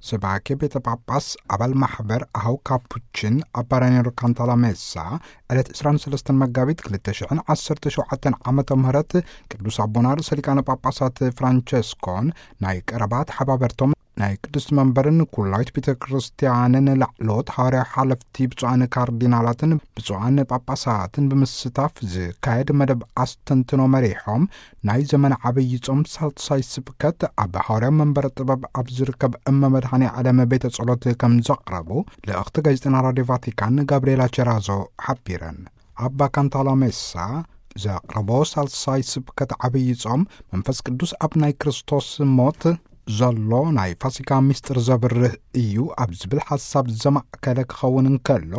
ሰባኬ ቤተ ጳጳስ ኣባል ማሕበር ኣሃው ካፑችን ኣባ ራኒሮ ካንታላሜሳ ዕለት ዕስራን ሰለስተን መጋቢት ክልተ ሽሕን ዓሰርተ ሸውዓተን ዓመተ ምህረት ቅዱስ ኣቦና ርእሰ ሊቃነ ጳጳሳት ፍራንቸስኮን ናይ ቀረባ ተሓባበርቶም ናይ ቅድስት መንበርን ኩላዊት ቤተ ክርስቲያንን ላዕሎት ሃዋርያ ሓለፍቲ ብፁዓን ካርዲናላትን ብፁዓን ጳጳሳትን ብምስታፍ ዝካየድ መደብ ኣስተንትኖ መሪሖም ናይ ዘመን ዓብይ ጾም ሳልሳይ ስብከት ኣብ ሃዋርያ መንበረ ጥበብ ኣብ ዝርከብ እመ መድኃኔ ዓለም ቤተ ጸሎት ከም ዘቕረቡ ልእኽቲ ጋዜጠና ራዲዮ ቫቲካን ጋብርኤላ ቸራዞ ሓቢረን። ኣባ ካንታላሜሳ ዘቕረቦ ሳልሳይ ስብከት ዓብይ ጾም መንፈስ ቅዱስ ኣብ ናይ ክርስቶስ ሞት ዘሎ ናይ ፋሲካ ምስጢር ዘብርህ እዩ ኣብ ዝብል ሓሳብ ዘማእከለ ክኸውን እንከሎ፣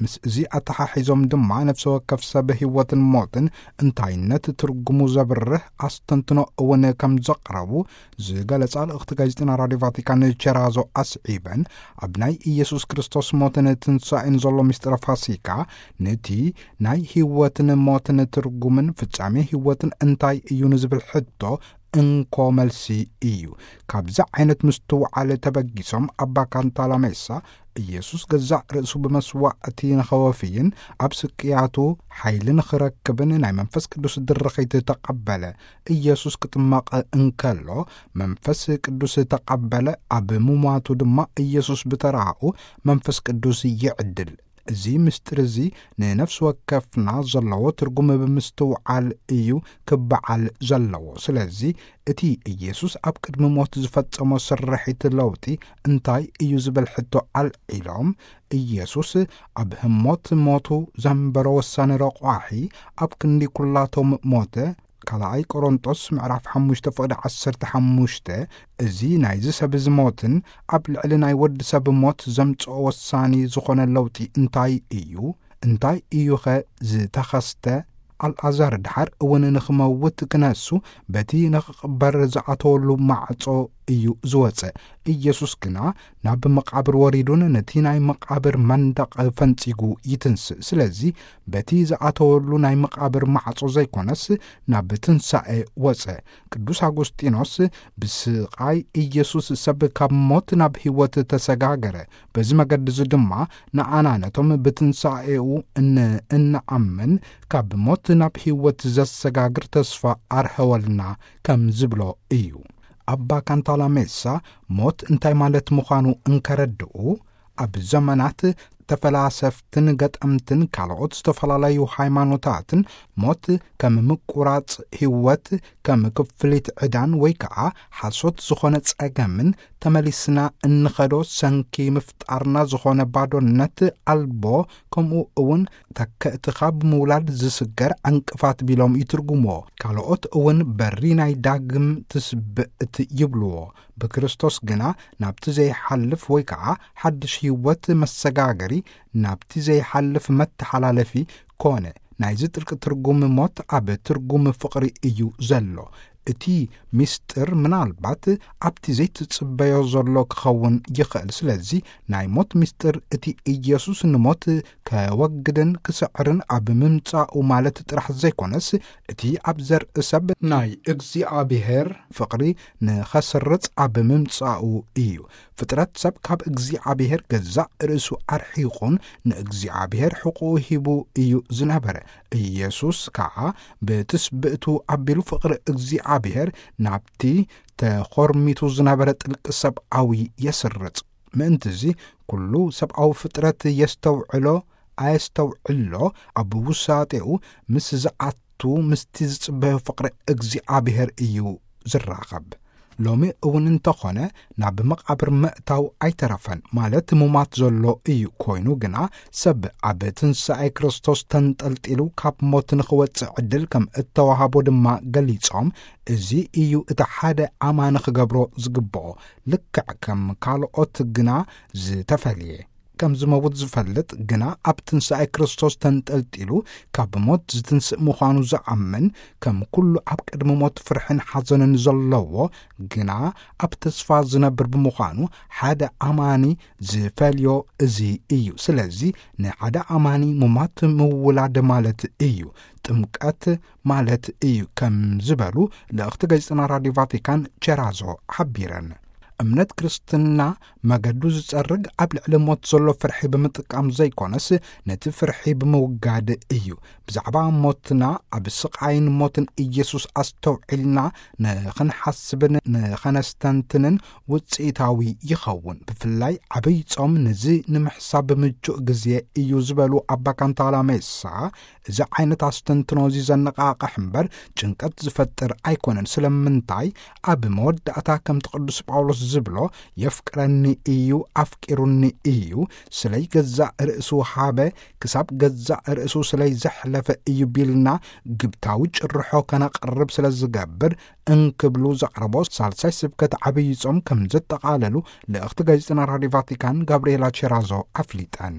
ምስ እዚ ኣተሓሒዞም ድማ ነፍሲ ወከፍ ሰብ ህይወትን ሞትን እንታይነት ትርጉሙ ዘብርህ ኣስተንትኖ እውን ከም ዘቕረቡ ዝገለጻ ልእኽቲ ጋዜጠና ራዲዮ ቫቲካን ቸራዞ ኣስዒበን፣ ኣብ ናይ ኢየሱስ ክርስቶስ ሞትን ትንሳኤን ዘሎ ምስጢረ ፋሲካ ነቲ ናይ ህይወትን ሞትን ትርጉምን ፍጻሜ ህይወትን እንታይ እዩ ንዝብል ሕቶ እንኮ መልሲ እዩ። ካብዚ ዓይነት ምስትውዓል ተበጊሶም ኣባ ካንታላሜሳ ኢየሱስ ገዛእ ርእሱ ብመስዋዕቲ ንኸወፍይን ኣብ ስቅያቱ ሓይሊ ንኽረክብን ናይ መንፈስ ቅዱስ ድርኺት ተቐበለ። ኢየሱስ ክጥመቕ እንከሎ መንፈስ ቅዱስ ተቐበለ። ኣብ ምሟቱ ድማ ኢየሱስ ብተራኡ መንፈስ ቅዱስ ይዕድል። እዚ ምስጢር እዚ ንነፍሲ ወከፍና ዘለዎ ትርጉም ብምስትውዓል እዩ ክበዓል ዘለዎ። ስለዚ እቲ ኢየሱስ ኣብ ቅድሚ ሞት ዝፈጸሞ ስርሒት ለውጢ እንታይ እዩ ዝብል ሕቶ ኣልዒሎም፣ ኢየሱስ ኣብ ህሞት ሞቱ ዘንበሮ ወሳኒ ረቋሒ ኣብ ክንዲ ኩላቶም ሞተ። ካልኣይ ቆሮንጦስ ምዕራፍ ሓሙሽተ ፍቕዲ ዓሰርተ ሓሙሽተ። እዚ ናይዚ ሰብ እዚ ሞትን ኣብ ልዕሊ ናይ ወዲ ሰብ ሞት ዘምጽኦ ወሳኒ ዝኾነ ለውጢ እንታይ እዩ? እንታይ እዩኸ ዝተኸስተ? ኣልዓዛር ድሓር እውን ንኽመውት ክነሱ በቲ ንኽቕበር ዝኣተወሉ ማዕጾ እዩ ዝወጸ። ኢየሱስ ግና ናብ መቓብር ወሪዱን ነቲ ናይ መቓብር መንደቕ ፈንጺጉ ይትንስእ። ስለዚ በቲ ዝኣተወሉ ናይ መቓብር ማዕጾ ዘይኮነስ ናብ ትንሳኤ ወጸ። ቅዱስ ኣጎስጢኖስ ብስቓይ ኢየሱስ ሰብ ካብ ሞት ናብ ህይወት ተሰጋገረ። በዚ መገዲ እዚ ድማ ንኣና ነቶም ብትንሳኤኡ ን-፣ እንኣምን ካብ ሞት ናብ ህይወት ዘሰጋግር ተስፋ ኣርሀወልና ከም ዝብሎ እዩ። ኣባ ካንታላሜሳ ሞት እንታይ ማለት ምዃኑ እንከረድኡ፣ ኣብ ዘመናት ተፈላሰፍትን ገጠምትን ካልኦት ዝተፈላለዩ ሃይማኖታትን ሞት ከም ምቁራጽ ህይወት፣ ከም ክፍሊት ዕዳን ወይ ከኣ ሓሶት ዝኾነ ጸገምን ተመሊስና እንኸዶ ሰንኪ ምፍጣርና ዝኾነ ባዶነት ኣልቦ፣ ከምኡ እውን ተከእትኻ ብምውላድ ዝስገር ዕንቅፋት ቢሎም ይትርጉምዎ። ካልኦት እውን በሪ ናይ ዳግም ትስብእት ይብልዎ። ብክርስቶስ ግና ናብቲ ዘይሓልፍ ወይ ከኣ ሓድሽ ህይወት መሰጋገሪ፣ ናብቲ ዘይሓልፍ መተሓላለፊ ኮነ። ናይዚ ጥልቂ ትርጉም ሞት ኣብ ትርጉም ፍቕሪ እዩ ዘሎ። እቲ ምስጢር ምናልባት ኣብቲ ዘይትጽበዮ ዘሎ ክኸውን ይኽእል። ስለዚ ናይ ሞት ምስጢር እቲ ኢየሱስ ንሞት ከወግድን ክስዕርን ኣብ ምምጻኡ ማለት ጥራሕ ዘይኮነስ፣ እቲ ኣብ ዘርኢ ሰብ ናይ እግዚኣብሔር ፍቕሪ ንኸስርጽ ኣብ ምምጻኡ እዩ። ፍጥረት ሰብ ካብ እግዚኣብሔር ገዛእ ርእሱ ኣርሒቑን ንእግዚኣብሔር ሕቁኡ ሂቡ እዩ ዝነበረ። ኢየሱስ ከኣ ብትስብእቱ ኣቢሉ ፍቕሪ እግዚኣብሔር ናብቲ ተኾርሚቱ ዝነበረ ጥልቂ ሰብኣዊ የስርጽ። ምእንትዚ ኩሉ ሰብኣዊ ፍጥረት የስተውዕሎ ኣየስተውዕሎ ኣብ ውሳጤኡ ምስ ዝኣቱ ምስቲ ዝጽበዮ ፍቕሪ እግዚኣብሔር እዩ ዝራኸብ። ሎሚ እውን እንተኾነ ናብ መቓብር ምእታው ኣይተረፈን፣ ማለት ምሟት ዘሎ እዩ። ኮይኑ ግና ሰብ ኣብ ትንሳኤ ክርስቶስ ተንጠልጢሉ ካብ ሞት ንኽወጽእ ዕድል ከም እተዋሃቦ ድማ ገሊጾም፣ እዚ እዩ እቲ ሓደ ኣማኒ ክገብሮ ዝግብኦ። ልክዕ ከም ካልኦት ግና ዝተፈልየ። ከም ዝመውት ዝፈልጥ ግና ኣብ ትንሳኤ ክርስቶስ ተንጠልጢሉ ካብ ሞት ዝትንስእ ምዃኑ ዝኣምን፣ ከም ኩሉ ኣብ ቅድሚ ሞት ፍርሕን ሓዘንን ዘለዎ፣ ግና ኣብ ተስፋ ዝነብር ብምዃኑ ሓደ ኣማኒ ዝፈልዮ እዚ እዩ። ስለዚ ንሓደ ኣማኒ ምሟት ምውላድ ማለት እዩ፣ ጥምቀት ማለት እዩ ከም ዝበሉ ልእኽቲ ጋዜጠና ራዲዮ ቫቲካን ቸራዞ ሓቢረን። እምነት ክርስትና መገዱ ዝጸርግ ኣብ ልዕሊ ሞት ዘሎ ፍርሒ ብምጥቃም ዘይኮነስ፣ ነቲ ፍርሒ ብምውጋድ እዩ። ብዛዕባ ሞትና፣ ኣብ ስቓይን ሞትን ኢየሱስ ኣስተውዒልና ንኽንሓስብን ንኸነስተንትንን ውጽኢታዊ ይኸውን። ብፍላይ ዓብይ ጾም ነዚ ንምሕሳብ ምቹእ ግዜ እዩ ዝበሉ ኣባ ካንታላ ሜሳ፣ እዚ ዓይነት ኣስተንትኖ እዚ ዘነቓቕሕ እምበር ጭንቀት ዝፈጥር ኣይኮነን። ስለምንታይ? ኣብ መወዳእታ ከምቲ ቅዱስ ጳውሎስ ዝብሎ፣ "የፍቅረኒ እዩ፣ ኣፍቂሩኒ እዩ፣ ስለይ ገዛእ ርእሱ ሃበ፣ ክሳብ ገዛእ ርእሱ ስለይ ዘሕለፈ እዩ" ቢልና ግብታዊ ጭርሖ ከነቕርብ ስለ ዝገብር፣ እንክብሉ ዘቕረቦ ሳልሳይ ስብከት ዓብይ ጾም ከም ዘጠቓለሉ ልእኽቲ ጋዜጠና ራዲዮ ቫቲካን ጋብርኤላ ቼራዞ ኣፍሊጠን።